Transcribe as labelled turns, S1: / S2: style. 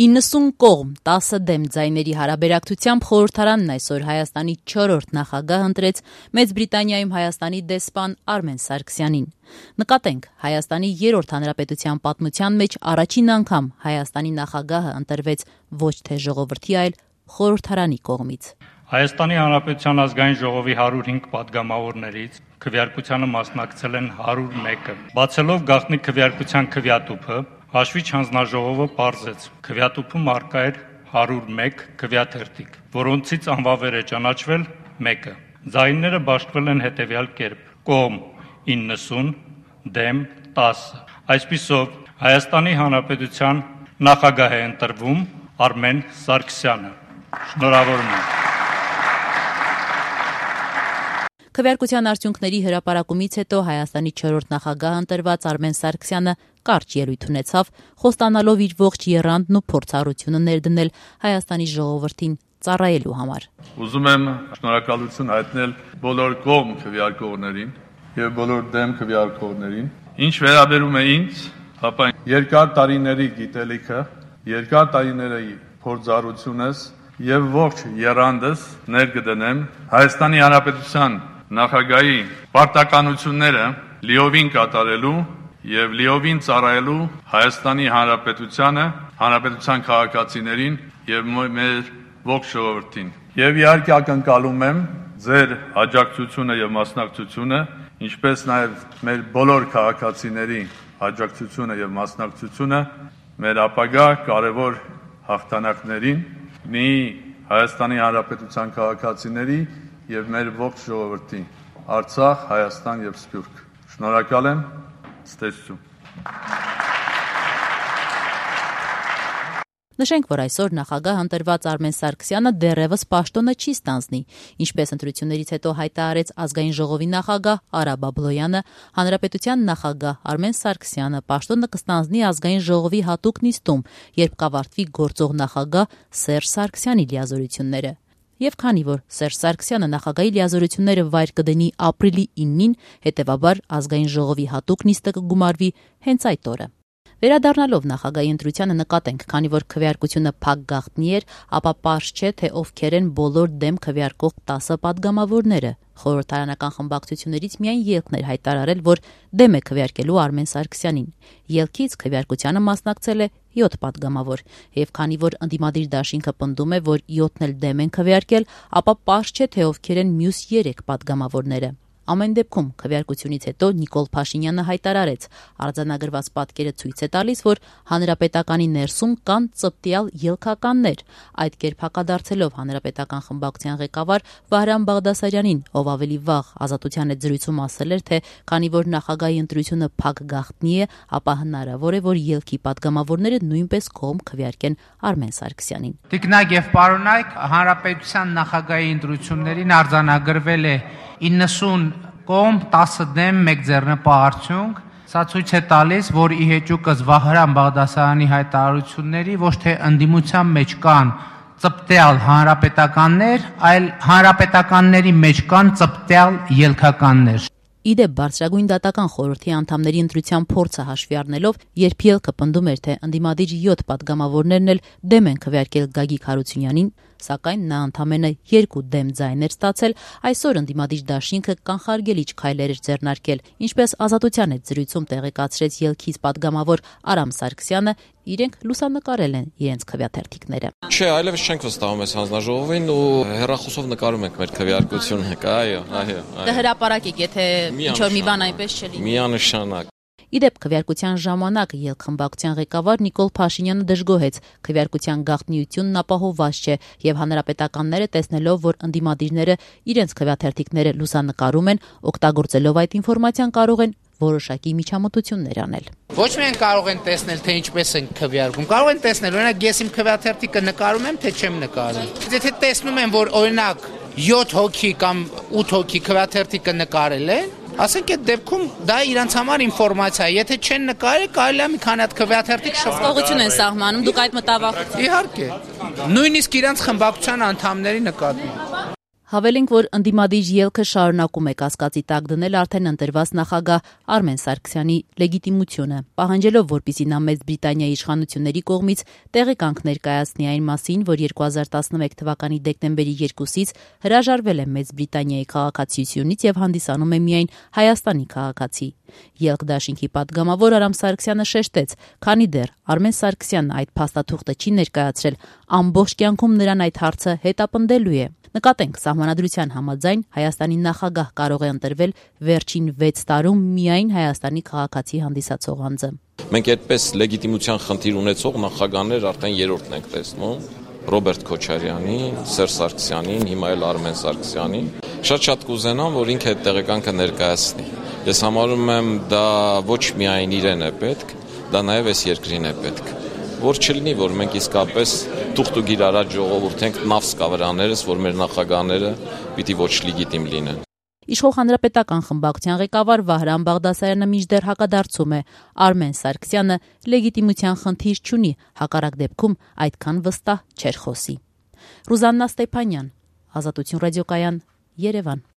S1: 90 կողմ 10 դեմ ձայների հարաբերակցությամբ խորհրդարանն այսօր Հայաստանի 4-րդ նախագահ ընտրեց Մեծ Բրիտանիայում Հայաստանի դեսպան Արմեն Սարգսյանին։ Նկատենք, Հայաստանի 3-րդ հանրապետության պատմության մեջ առաջին անգամ Հայաստանի նախագահը ընտրվեց ոչ թե ժողովրդի, այլ խորհրդարանի կողմից։
S2: Հայաստանի Հանրապետության ազգային ժողովի 105 պատգամավորներից քվեարկությանը մասնակցել են 101-ը։ Բացելով գաղտնի քվեարկության քվեատուփը, Հաշվիչ հանձնաժողովը պարզեց, քվեատուփում առկա էր 101 քվեաթերթիկ, որոնցից անվավեր է ճանաչվել 1-ը։ Ձայները բաշխվել են հետևյալ կերպ. կողմ 90, դեմ 10։ Այսպիսով Հայաստանի Հանրապետության նախագահ է ընտրվում Արմեն Սարգսյանը։ Շնորհավորում եմ։
S1: Քվեարկության արդյունքների հրապարակումից հետո Հայաստանի 4-րդ նախագահ ընտրված Արմեն Սարգսյանը կարճ ելույթ ունեցավ, խոստանալով իր ողջ եռանդն ու փորձառությունը ներդնել Հայաստանի ժողովրդին ծառայելու համար։
S3: Ուզում եմ շնորհակալություն հայտնել բոլոր կողմ քվեարկողներին եւ բոլոր դեմ քվեարկողներին։ Ինչ վերաբերում է ինձ, ապա երկար տարիների գիտելիքը, երկար տարիների փորձառությունս եւ ողջ եռանդս ներկդնեմ Հայաստանի Հանրապետության նախագահի պարտականությունները լիովին կատարելու եւ լիովին ծառայելու Հայաստանի Հանրապետությանը, հանրապետության քաղաքացիներին եւ մեր ողջ ժողովրդին։ Եվ իհարկե ակնկալում եմ ձեր աջակցությունը եւ մասնակցությունը, ինչպես նաեւ մեր բոլոր քաղաքացիների աջակցությունը եւ մասնակցությունը մեր ապագա կարևոր հաղթանակներին, մի Հայաստանի Հանրապետության քաղաքացիների եւ մեր ողջ ժողովրդի, Արցախ, Հայաստան եւ Սփյուռք։ Շնորհակալ եմ, ցտեսություն։
S1: Նշենք, որ այսօր նախագահ ընտրված Արմեն Սարգսյանը դեռևս պաշտոնը չի ստանձնի, ինչպես ընտրություններից հետո հայտարարեց ազգային ժողովի նախագահ Արա Բաբլոյանը, հանրապետության նախագահ Արմեն Սարգսյանը պաշտոնը կստանձնի ազգային ժողովի հատուկ նիստում, երբ կավարտվի գործող նախագահ Սերժ Սարգսյանի լիազորությունները։ Եվ քանի որ Սերժ Սարգսյանը նախագահի լիազորությունները վայր կդնի ապրիլի 9-ին, հետևաբար ազգային ժողովի հատուկ նիստը կգումարվի հենց այդ օրը։ Վերադառնալով նախագահի ընտրությանը նկատենք, քանի որ քվեարկությունը փակ գաղտնի էր, ապա պարզ չէ, թե ովքեր են բոլոր դեմ քվեարկող 10 պատգամավորները։ Խորհրդարանական խմբակցություններից միայն ելքն էր հայտարարել, որ դեմ է քվեարկելու Արմեն Սարգսյանին։ Ելքից քվեարկությանը մասնակցել է 7 պատգամավոր, եւ քանի որ ընդդիմադիր դաշինքը պնդում է, որ 7-ն էլ դեմ են քվեարկել, ապա պարզ չէ, թե ովքեր են մյուս 3 պատգամավորները։ Ամեն դեպքում քվեարկությունից հետո Նիկոլ Փաշինյանը հայտարարեց, արձանագրված պատկերը ցույց է տալիս, որ հանրապետականի ներսում կան ծպտյալ ելքականներ, այդ կերպ հակադարձելով հանրապետական խմբակցության ղեկավար Վահրամ Բաղդասարյանին, ով ավելի վաղ Ազատության հետ զրույցում ասել էր, թե քանի որ նախագահի ընտրությունը փակ գաղտնի է, ապա հնարավոր է, որ ելքի պատգամավորները նույնպես կողմ քվեարկեն Արմեն Սարգսյանին։
S4: Տիկնակ եւ պարոնայք, հանրապետության նախագահի ընտրություններին արձանագրվել է 90 կողմ 10 դեմ 1 ձեռնպահ արդյունք։ Սա ցույց է տալիս, որ ի հեճուկս Վահրամ Բաղդասարյանի հայտարարությունների ոչ թե ընդդիմության մեջ կան ծպտյալ հանրապետականներ, այլ հանրապետականների մեջ կան ծպտյալ ելքականներ։
S1: Իդեպ բարձրագույն դատական խորհրդի անդամների ընտրության փորձը հաշվի առնելով, երբ ելքը պնդում էր, թե ընդդիմադիր 7 պատգամավորներն էլ դեմ են քվեարկել Գագիկ Հարությունյանին, սակայն նա ընդամենը 2 դեմ ձայներ ստացել, այսօր ընդդիմադիր դաշինքը կանխարգելիչ քայլեր էր ձեռնարկել, ինչպես Ազատության հետ զրույցում տեղեկացրեց ելքից պատգամավոր Արամ Սարգսյանը, իրենք լուսանկարել են իրենց քվեաթերթիկները։
S5: Չէ, այլևս չենք վստահում այս հանձնաժողովին ու հեռախոսով նկարում ենք մեր քվեարկությունը, այո։
S1: Կհրապարակեք, եթե ինչ-որ մի բան այնպես չլինի։
S5: Միանշանակ։
S1: Իդեպ քվեարկության ժամանակ ելքխմբակցության ղեկավար Նիկոլ Փաշինյանը դժգոհեց, քվեարկության գաղտնիությունն ապահովված չէ եւ հանրապետականները տեսնելով, որ ընդդիմադիրները իրենց քվեաթերթիկները լուսանկարում են, օգտագործելով այդ ինֆորմացիան կարող են որոշակի միջամտություններ անել։
S4: Ոչ միայն կարող են տեսնել, թե ինչպես են քվեարկում, կարող են տեսնել, օրինակ ես իմ քվեաթերթիկը նկարում եմ, թե չեմ նկարում։ Եթե տեսնում են, որ օրինակ 7 հոգի կամ 8 հոգի քվեաթերթիկը նկարել են, ասենք այդ դեպքում դա իրանց համար ինֆորմացիա է, եթե չեն նկարել, կարելի է մի քանի հատ քվեաթերթիկ
S1: շփոթություն են սահմանում, դուք այդ մտավախություն։
S4: Իհարկե։ Նույնիսկ իրանց խմբակցության անդամների նկատմամբ։
S1: Հավելենք, որ ընդդիմադիր ելքը շարունակում է կասկածի տակ դնել արդեն ընտրված նախագահ Արմեն Սարգսյանի լեգիտիմությունը, պահանջելով, որպեսզի նա Մեծ Բրիտանիայի իշխանությունների կողմից տեղեկանք ներկայացնի այն մասին, որ 2011 թվականի դեկտեմբերի 2-ից հրաժարվել է Մեծ Բրիտանիայի քաղաքացիությունից եւ հանդիսանում է միայն Հայաստանի քաղաքացի։ Ելք դաշինքի պատգամավոր Արամ Սարգսյանը շեշտեց, քանի դեռ Արմեն Սարգսյանն այդ փաստաթուղթը չի ներկայացրել, ամբողջ կյանքում նրան այդ հարցը հետապնդելու է։ Նկատենք, սահմանադրության համաձայն Հայաստանի նախագահ կարող է ընտրվել վերջին 6 տարում միայն Հայաստանի քաղաքացի հանդիսացող անձը։
S5: Մենք այդպես լեգիտիմության խնդիր ունեցող նախագահներ արդեն երրորդն ենք տեսնում. Ռոբերտ Քոչարյանին, Սերժ Սարգսյանին, հիմա էլ Արմեն Սարգսյանին։ Շատ կուզենամ, որ ինքը այդ տեղեկանքը ներկայացնի։ Ես համարում եմ, դա ոչ միայն իրեն է պետք, դա նաև այս երկրին է պետք։ Որ չլինի, որ մենք իսկապես թուղթուգիր առաջ ժողովուրդենք նավս կավրաներս, որ մեր նախագահները պիտի ոչ լեգիտիմ լինեն։
S1: Իշխող հանրապետական խմբակցության ղեկավար Վահրամ Բաղդասարյանը մինչդեռ հակադարձում է. Արմեն Սարգսյանը լեգիտիմության խնդիր չունի, հակառակ դեպքում այդքան վստահ չէր խոսի։ Ռուզաննա Ստեփանյան, Ազատություն ռադիոկայան, Երևան։